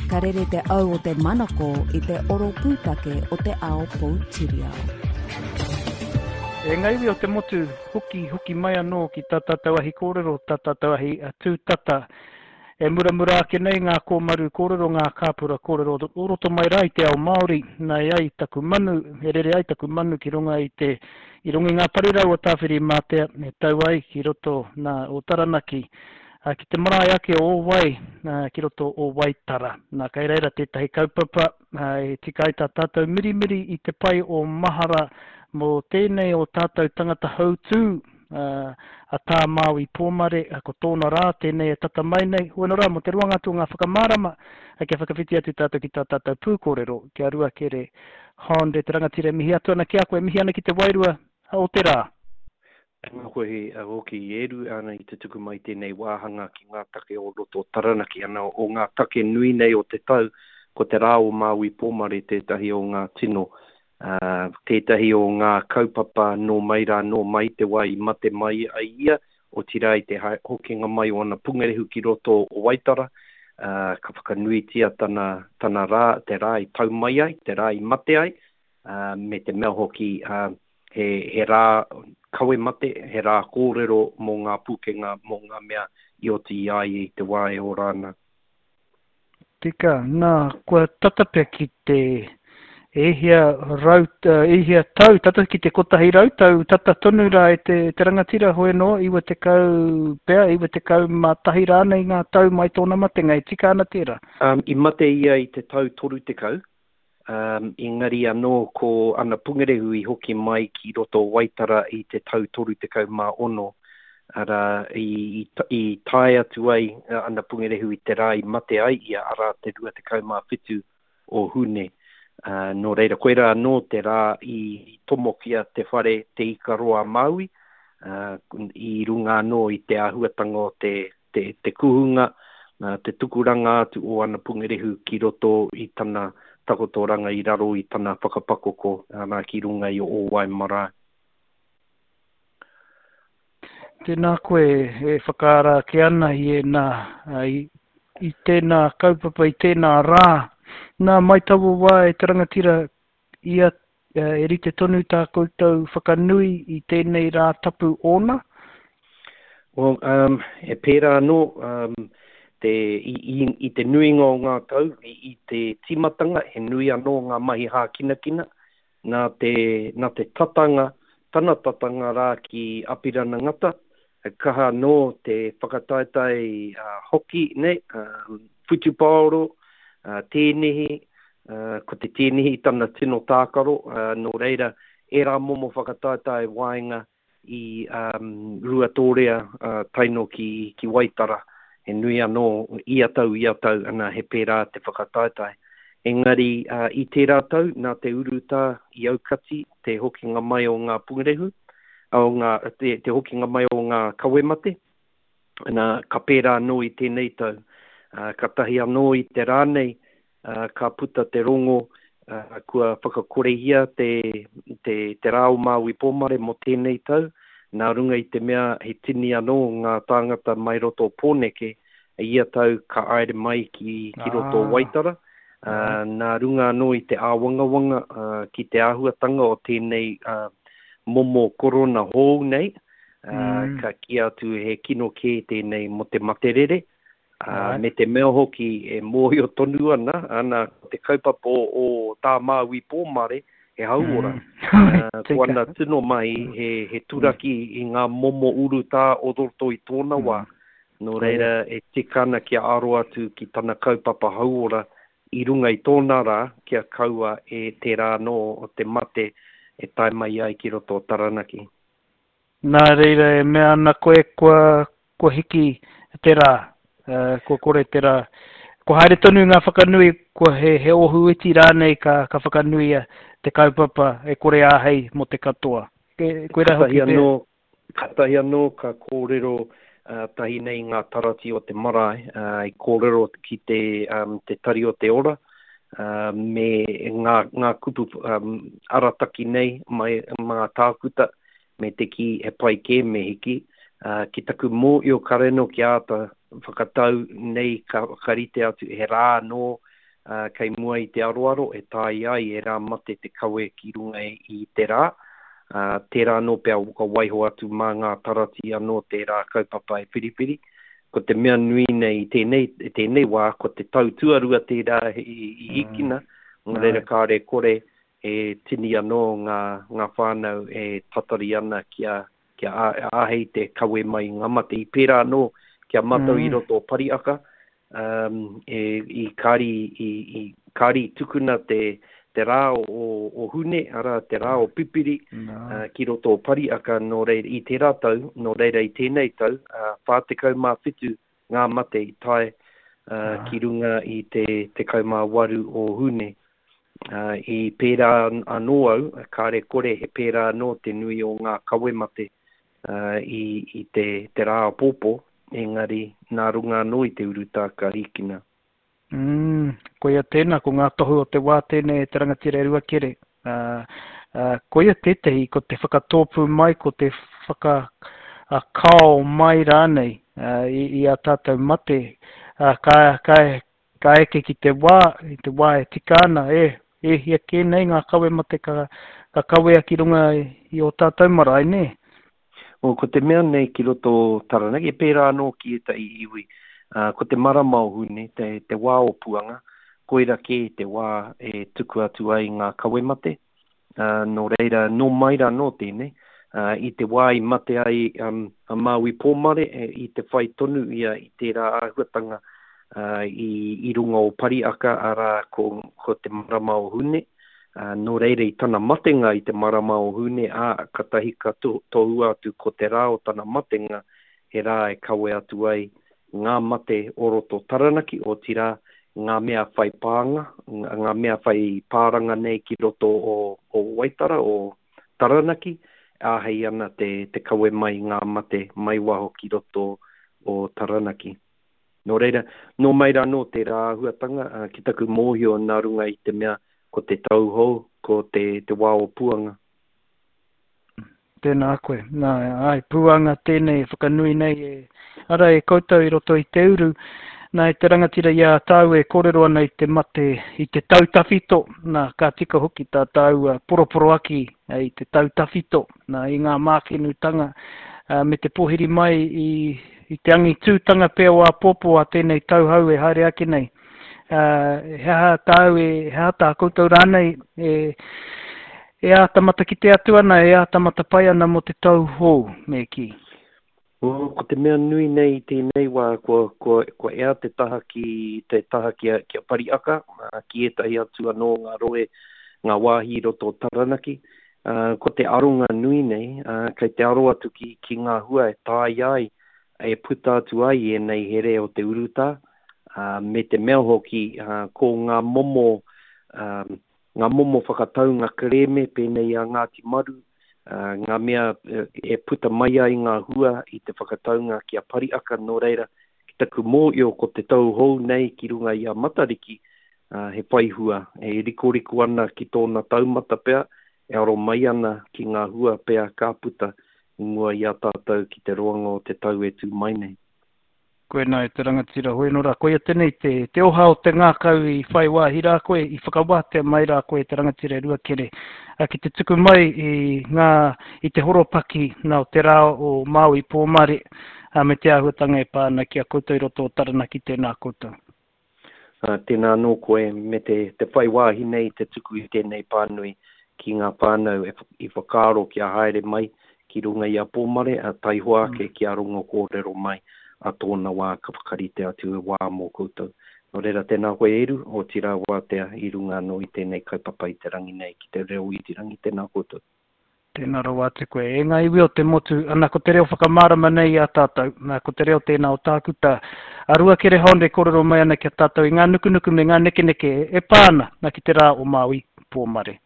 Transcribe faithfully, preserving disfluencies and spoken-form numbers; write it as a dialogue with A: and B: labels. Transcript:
A: Ka rere te au o te manako i te oro pūtake o te ao poutiriao.
B: E ngā iwi o te motu, hoki, hoki mai anō ki tā tātou ahi kōrero, tā tātou ahi tūtata. E muramura ake nei ngā kōmaru kōrero, ngā kāpura kōrero o roto mai rā i te ao Māori, nā e ai taku manu, e rere ai taku manu ki runga i te, i runga i ngā parirau o Tāwhirimātea, e tau ai ki roto nā o Taranaki, ki te marae ake o Ōwai, ki roto o Waitara. Nā, kei reira tētahi kaupapa, e tika ai tā tātou mirimiri i te pai o mahara mō tēnei o tātou tangata hautū, a Tā Māui Pōmare, ko tōna rā tēnei e tata mai nei. Hoi rā, mō te roanga atu o ngā whakamārama, kia whakawhiti atu tātou ki tā tātou pūkōrero, ki a Ruakere Hond, e te rangatira e mihi atu ana ki a koe, mihi ana ki te wairua o te rā.
C: Tēnā koe hoki e Eru ana i te tuku mai tēnei wāhanga ki ngā take o roto o Taranaki ana o ngā take nui nei o te tau, ko te rā o Māui Pōmare tētahi o ngā tino, uh, tētahi o ngā kaupapa nō mai rā nō mai te wā i mate mai ai ia, otirā i te hokinga mai o ana pungarehu ki roto o Waitara, uh, ka whakanuitia tana, tana rā, te rā i tau mai ai, te rā i mate ai, uh, me te mea hoki uh, he, he rā kawe mate, he rā kōrero mō ngā pūkenga, mō ngā mea i oti i a ia i te wā e ora ana.
B: Tika, nā, kua tata pea ki te e hia rau, e hia tau, tata ki te kotahi rau tau, tata tonu rā e te, te rangatira hoi anō, iwa tekau pea, iwa tekau mā tahi rānei ngā tau mai tōna matenga, e tika ana tērā?
C: Um, i mate ia i te tau toru tekau, um, engari anō ko ana pungarehu i hoki mai ki roto o Waitara i te tau toru tekau mā ono, arā, i, i, i tae atu ai ana pungarehu i te rā i mate ai ia, arā te rua tekau mā whitu o Hune. Uh, nō reira, koirā anō te rā i tomokia te whare Te Ikaroa Māui, uh, i runga anō i te āhuatanga o te, te, te kuhunga, uh, te tukuranga atu o ana pungarehu ki roto i tana takotoranga i raro i tana whakapakoko, arā, ki runga i o Ōwai marae.
B: Tēnā koe e whakaara ake ana i ēnā, i, i tēnā kaupapa, i tēnā rā. Nā, mai taua wā e te rangatira ia e rite tonu tā koutou whakanui i tēnei rā tapu ōna?
C: Well, um, e pērā anō, um, te, i, i, i te nuinga o ngā tau, i, i te tīmatanga, he nui anō ngā mahi hākinakina, nā te, nā te tatanga, tana tatanga rā ki Apirana Ngata, e kaha anō te whakataetae uh, hoki, nei, um, whutupaoro, uh, tēnihi, uh, ko te tēnihi tana tino tākaro, uh, nō reira, ērā momo whakataetae waenga i um, Ruatōrea uh, taino ki, ki Waitara, he nui anō ia tau, ia tau, ana he pērā te whakataetae. Engari uh, i tērā tau, nā te urutā i aukati te hokinga mai o ngā pungarehu, o ngā, te, te hokinga mai o ngā kawemate, nā, ka pērā anō i tēnei tau. Uh, ka tahi anō i te rā nei, uh, ka puta te rongo, uh, kua whakakorehia te, te, te rā o Māui Pōmare mō tēnei tau, nā runga i te mea he tini anō ngā tāngata mai roto o Pōneke, ia tau ka aere mai ki, ki roto o Waitara, uh, nā runga anō i te āwangawanga uh, ki te āhuatanga o tēnei uh, momo korona hou nei, uh, mm. ka kī atu he kino kē tēnei mō te materere, Uh, me te mea hoki e mōhio tonu ana, ana ko te kaupapa o, o tā Māui Pōmare, he hauora. Mm. Uh, ko ana tino mahi he, he turaki mm. i ngā momo urutā o roto i tōna wā. Mm. Nō reira e tika ana kia aro atu ki tana kaupapa hauora i runga i tōna rā, kia kaua e tērā anō o te mate e tae mai ai ki roto o Taranaki.
B: Nā reira e mea ana koe kua, kua hiki te rā, uh, kua kore te rā. Kua haere tonu ngā whakanui, kua he, he ohu iti rānei ka, ka whakanuia te kaupapa e kore āhei mō te katoa. Ke, koe rā hoki
C: Katahi anō, katahi anō ka kōrero uh, tahi nei ngā tarati o te marae, uh, i kōrero ki te, um, te tari o te ora, uh, me ngā, ngā kupu um, arataki nei mai ngā tākuta, me te ki he pai kē me hiki, uh, ki taku mōhio kareno ki āta whakatau nei ka, ka rite atu he rā anō uh, kei mua i te aroaro e taea ai e rā mate te kawe ki runga i te rā. Uh, tērā anō pea ka waiho atu mā ngā tarati anō tērā kaupapa e whiriwhiri. Ko te mea nui nei i tēnei, i tēnei wā, ko te tau tuarua tērā i, i hikina, mm. nō reira kāre kore e tini anō ngā, ngā whānau e tatari ana kia, kia āhei te kawe mai ngā mate. I pērā anō kia mātou mm. i roto o Pariaka, um, e, i kāri, i, i, kāri tukuna te, te rā o, o Hune, arā te rā o Pipiri, no. uh, ki roto o Pariaka, nō reira i tērā tau, nō reira i tēnei tau, uh, whā tekau mā whitu ngā mate i tae uh, ki runga i te tekau mā waru o Hune. Uh, i pērā anō au, kāre kore he pērā anō te nui o ngā kawe mate uh, i, i te, te rā pōpō, engari nā runga anō i te urutā ka hikina.
B: Mm, koia tēnā, ko ngā tohu o te wā tēnei e te rangatira e Ruakere. Uh, uh, koia tētehi, ko te whakatōpū mai, ko te whakakao mai rānei uh, i, i a tātou mate. Uh, ka, ka, ka eke ki te wā, i te wā e tika ana, e, e hia kē nei ngā kawe mate ka, ka kawea ki runga i, i o tātou marae, nē?
C: O, ko te mea nei ki roto Taranaki, e pērā anō ki ētahi iwi, uh, ko te marama o Hune, te, te wā o Puanga, koira kē te wā e tuku atu ai ngā kawe mate. Uh, nō reira, nō mai rā nō tēnei, uh, i te wā i mate ai um, a Māui Pōmare, e, i te whai tonu ia i tērā āhuatanga uh, i, i runga o Pariaka, arā ko, ko te marama o Hune. Uh, nō reira i tana matenga i te marama o Hune, ā, katahi ka to, tohua atu ko te rā o tana matenga, he rā e kawe atu ai ngā mate o roto Taranaki, otirā ngā mea whai pānga, ngā mea whai pāranga nei ki roto o, o Waitara, o Taranaki, āhei ana te, te kawe mai ngā mate mai waho ki roto o Taranaki. Nō reira, nō mai rā nō tērā āhuatanga, uh, ki taku mōhio nā runga i te mea ko te tau hou, ko te, te wā o Puanga.
B: Tēnā koe. Nā, ai, Puanga tēnei e whakanui nei e, ara e koutou i roto i te uru. Nā, e te rangatira i a tāu e kōrero ana i te mate, i te tau tawhito. Nā, ka tika hoki tā tāua poroporoaki i te tau tawhito, nā, i ngā mākenutanga, uh, me te pōhiri mai i, i te angitūtanga pea o āpōpō a tēnei tauhou e haere ake nei. Uh, he aha tāu e, he aha tā koutou rānei e, e āta matakite atu ana, e āta matapae ana mō te tau hou, me kī.
C: O, ko te mea nui nei i tēnei wā, kua, kua, kua ea te taha ki, te taha ki a, ki a Pariaka, ki ētahi atu anō ngā rohe, ngā wāhi i roto o Taranaki. Uh, ko te aronga nui nei, uh, kei te aro atu ki, ki ngā hua e taea ai, e puta atu ai ēnei here o te urutā, uh, me te mea hoki uh, ko ngā momo, um, ngā momo whakataunga kerēme pēnei a Ngāti Maru, uh, ngā mea e puta mai ai ngā hua i te whakataunga ki a Pariaka, nō reira, ki taku mōhio ko te tau hou nei ki runga i a Matariki, uh, he whai hua, e rikoriko ana ki tōna taumata pea, e aro mai ana ki ngā hua pea ka puta i mua i a tātou ki te roanga o te tau e tū mai nei.
B: Koe nā e te rangatira hoi nō rā. Koia tēnei te, te oha o te ngākau i whai wāhi rā koe, i whakawātea mai rā koe te rangatira e Ruakere, ki te tuku mai i, ngā, i te horopaki nā o te rā o Māui Pōmare, me te āhuatanga e pā ana ki a koutou i roto o Taranaki, tēnā koutou.
C: Uh, tēnā anō koe me te, te whai wāhi nei te tuku i tēnei pānui ki ngā whānau e, i whakaaro kia haere mai ki runga i a Pōmare, a taihoa ake mm. ki a rongo kōrero mai a tōna wā ka whakarite atu e wā mō koutou. Nō reira tēnā koe Eru, otirā wātea i runga anō i tēnei kaupapa i te rangi nei ki te reo irirangi, tēnā koutou.
B: Tēnā rawa atu koe. E ngā iwi o te motu, ana ko te reo whakamārama nei i a tātou, nā, ko te reo tēnā o tākuta. A Ruakere Hond e kōrero mai ana ki a tātou i ngā nukunuku me ngā nekeneke e pā ana nā ki te rā o Māui Pōmare.